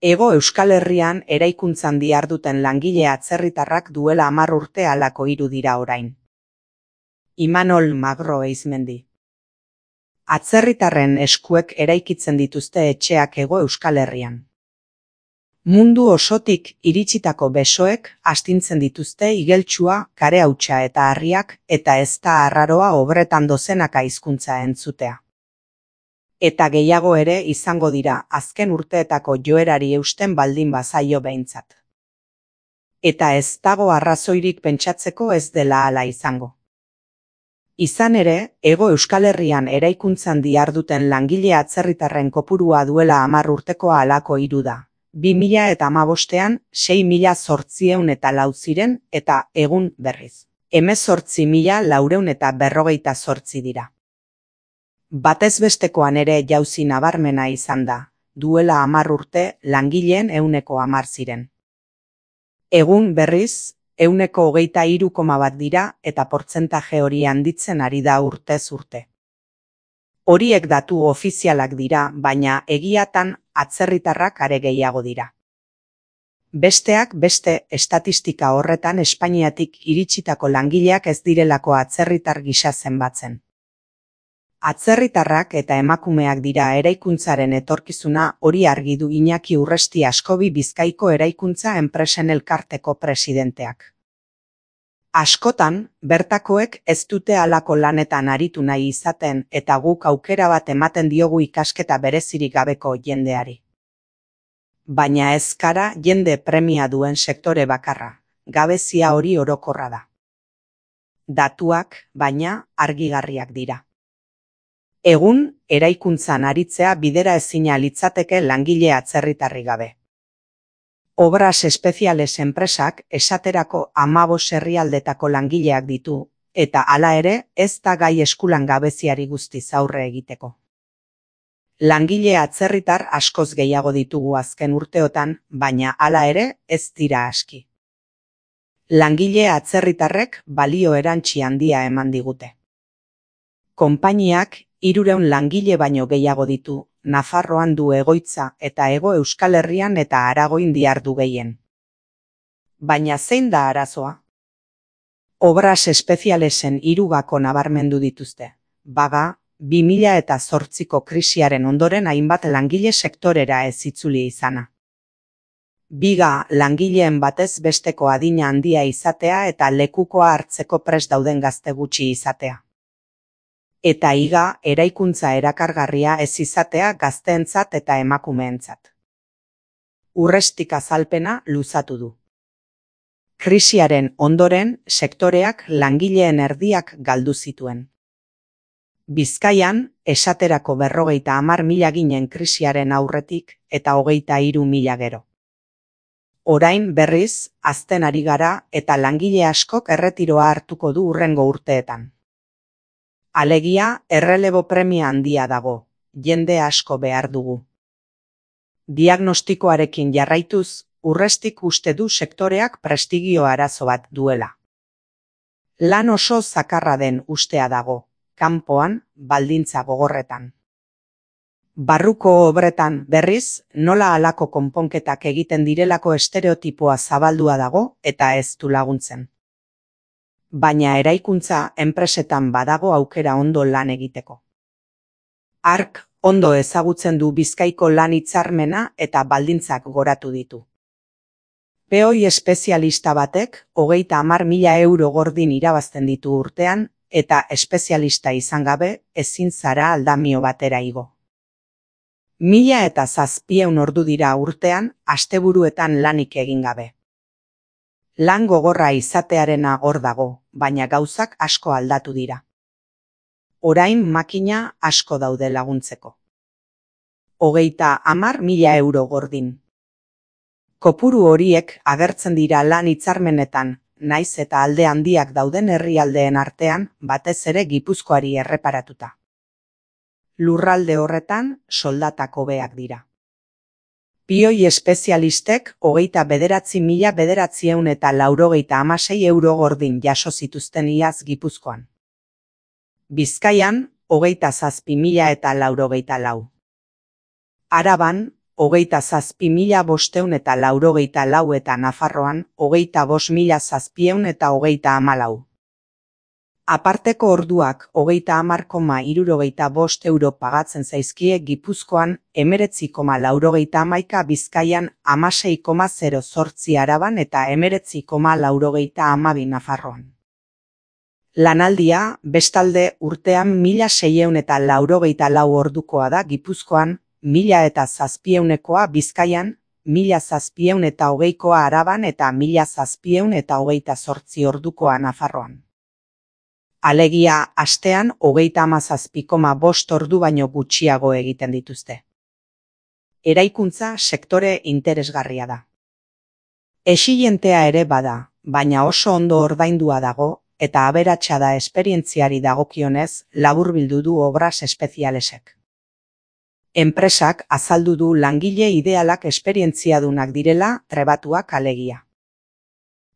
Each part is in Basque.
Hego Euskal Herrian eraikuntzan diharduten langile atzerritarrak duela 10 urte halako hiru dira orain. Imanol Magro Eizmendi. Atzerritarren eskuek eraikitzen dituzte etxeak Hego Euskal Herrian. Mundu osotik iritsitako besoek astintzen dituzte igeltsua, karehautsa eta harriak, eta ez da arraroa obretan dozenaka hizkuntza entzutea. Eta gehiago ere izango dira azken urteetako joerari eusten baldin bazaio behintzat. Eta ez dago arrazoirik pentsatzeko ez dela hala izango. Izan ere, Hego Euskal Herrian eraikuntzan diharduten langile atzerritarren kopurua duela 10 urtekoa halako hiru da. 2015ean 6.804 ziren eta egun berriz 18.458 dira. Batez bestekoan ere jauzi nabarmena izan da, duela 10 urte langileen 10% ziren. Egun berriz, 23,1 dira eta portzentaje hori handitzen ari da urtez urte. Horiek datu ofizialak dira, baina egiatan atzerritarrak are gehiago dira. Besteak beste estatistika horretan Espainiatik iritsitako langileak ez direlako atzerritar gisa zenbatzen. Atzerritarrak eta emakumeak dira eraikuntzaren etorkizuna, hori argi du Iñaki Urresti Askobi Bizkaiko Eraikuntza Enpresen Elkarteko presidenteak. Askotan, bertakoek ez dute halako lanetan aritu nahi izaten eta guk aukera bat ematen diogu ikasketa berezirik gabeko jendeari. Baina ez gara jende premia duen sektore bakarra, gabezia hori orokorra da. Datuak, baina, argigarriak dira. Egun, eraikuntzan aritzea bidera ezina litzateke langile atzerritarrik gabe. Obras espeziales enpresak esaterako 15 herrialdetako langileak ditu, eta hala ere ez da gai eskulan gabeziari guztiz aurre egiteko. Langile atzerritar askoz gehiago ditugu azken urteotan, baina hala ere ez dira aski. Langile atzerritarrek balio erantsi handia eman digute. Konpainiak 300 langile baino gehiago ditu, Nafarroan du egoitza eta Hego Euskal Herrian eta Aragoin dihardu gehien. Baina zein da arazoa? Obras espezialesen 3 gako nabarmendu dituzte. Baga, 2008ko krisiaren ondoren hainbat langile sektorera ez itzuli izana. Biga, langileen batez besteko adina handia izatea eta lekukoa hartzeko prest dauden gazte gutxi izatea. Eta higa, eraikuntza erakargarria ez izatea gazteentzat eta emakumeentzat. Urrestik azalpena luzatu du. Krisiaren ondoren, sektoreak langileen erdiak galdu zituen. Bizkaian, esaterako 50.000 ginen krisiaren aurretik eta 23.000 gero. Orain berriz, hazten ari gara eta langile askok erretiroa hartuko du hurrengo urteetan. Alegia, errelebo premia handia dago, jende asko behar dugu. Diagnostikoarekin jarraituz, Urrestik uste du sektoreak prestigio arazo bat duela. Lan oso zakarra den ustea dago, kanpoan, baldintza gogorretan. Barruko obretan, berriz, nola halako konponketak egiten direlako estereotipoa zabaldua dago eta ez du laguntzen. Baina eraikuntza enpresetan badago aukera ondo lan egiteko. Ark ondo ezagutzen du Bizkaiko lan hitzarmena eta baldintzak goratu ditu. Peoi espezialista batek 30.000 euro gordin irabazten ditu urtean eta espezialista izan gabe ezin zara aldamio batera igo. 1.700 ordu dira urtean asteburuetan lanik egin gabe. Lan gogorra izatearena hor dago, baina gauzak asko aldatu dira. Orain makina asko daude laguntzeko. 30.000 euro gordin. Kopuru horiek agertzen dira lan hitzarmenetan, naiz eta alde handiak dauden herrialdeen artean, batez ere Gipuzkoari erreparatuta. Lurralde horretan soldatak hobeak dira. Pioi espezialistek 29.996 euro gordin jaso zituzten iaz Gipuzkoan. Bizkaian 27.094. Araban 27.584 eta Nafarroan 25.734. Aparteko orduak 30,65 euro pagatzen zaizkie Gipuzkoan, 19,91 Bizkaian, 16,08 Araban eta 19,92 Nafarroan. Lanaldia, bestalde, urtean 1.684 ordukoa da Gipuzkoan, 1.700koa Bizkaian, 1.720koa Araban eta 1.728 ordukoa Nafarroan. Alegia, astean 37,5 ordu baino gutxiago egiten dituzte. Eraikuntza sektore interesgarria da. Exilientea ere bada, baina oso ondo ordaindua dago, eta aberatsa da esperientziari dagokionez, laburbildu du Obras Espezialesek. Enpresak azaldu du langile idealak esperientziadunak direla, trebatuak alegia.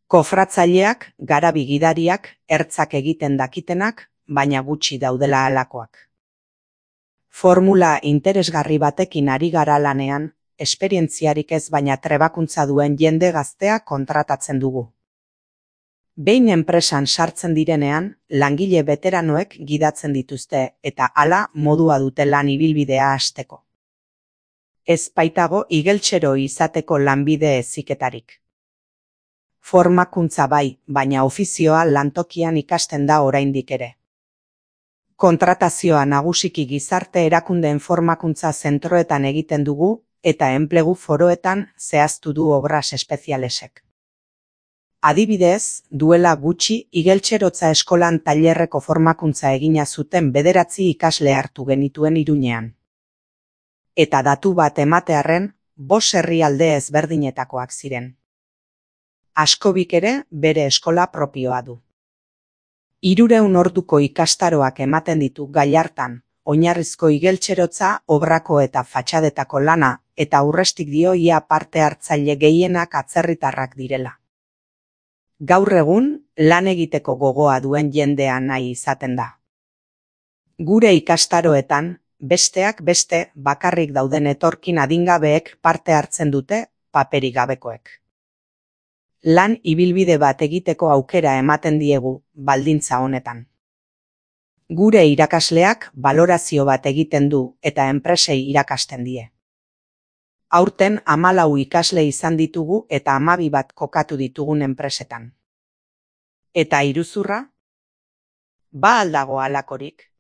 Kofratzaileak, garabi gidariak, ertzak egiten dakitenak, baina gutxi daudela halakoak. Formula interesgarri batekin ari gara lanean, esperientziarik ez baina trebakuntza duen jende gaztea kontratatzen dugu. Behin enpresan sartzen direnean, langile veteranoek gidatzen dituzte eta hala modua dute lan ibilbidea hasteko. Ez baitago igeltsero izateko lanbide heziketarik. Formakuntza bai, baina ofizioa lantokian ikasten da oraindik ere. Kontratazioa nagusiki gizarte erakundeen formakuntza zentroetan egiten dugu eta enplegu foroetan zehaztu du Obras Espezialesek. Adibidez, duela gutxi igeltserotza eskolan tailerreko formakuntza egina zuten 9 ikasle hartu genituen Iruñean. Eta datu bat ematearren, 5 herrialde ezberdinetakoak ziren. Askobik ere bere eskola propioa du. 300 orduko ikastaroak ematen ditu Gallartan, oinarrizko igeltserotza, obrako eta fatxadetako lana, eta aurrestik dio ia parte hartzaile gehienak atzerritarrak direla. Gaur egun, lan egiteko gogoa duen jendea nahi izaten da. Gure ikastaroetan, besteak beste bakarrik dauden etorkin adingabeek parte hartzen dute, paperik gabekoek. Lan ibilbide bat egiteko aukera ematen diegu, baldintza honetan. Gure irakasleak balorazio bat egiten du eta enpresei irakasten die. Aurten 14 ikasle izan ditugu eta 12 bat kokatu ditugun enpresetan. Eta iruzurra? Ba aldago halakorik?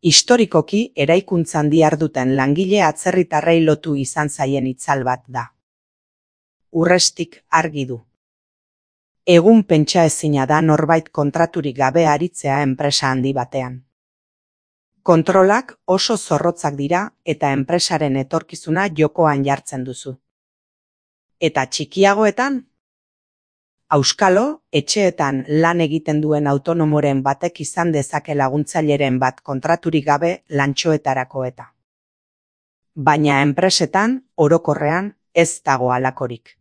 Historikoki eraikuntzan diharduten langile atzerritarrei lotu izan zaien itzal bat da. Urrestik argi du. Egun pentsaezina da norbait kontraturik gabe aritzea enpresa handi batean. Kontrolak oso zorrotzak dira eta enpresaren etorkizuna jokoan jartzen duzu. Eta txikiagoetan? Auskalo, etxeetan lan egiten duen autonomoren batek izan dezake laguntzaileren bat kontraturik gabe lantxoetarako eta. Baina enpresetan, orokorrean, ez dago halakorik.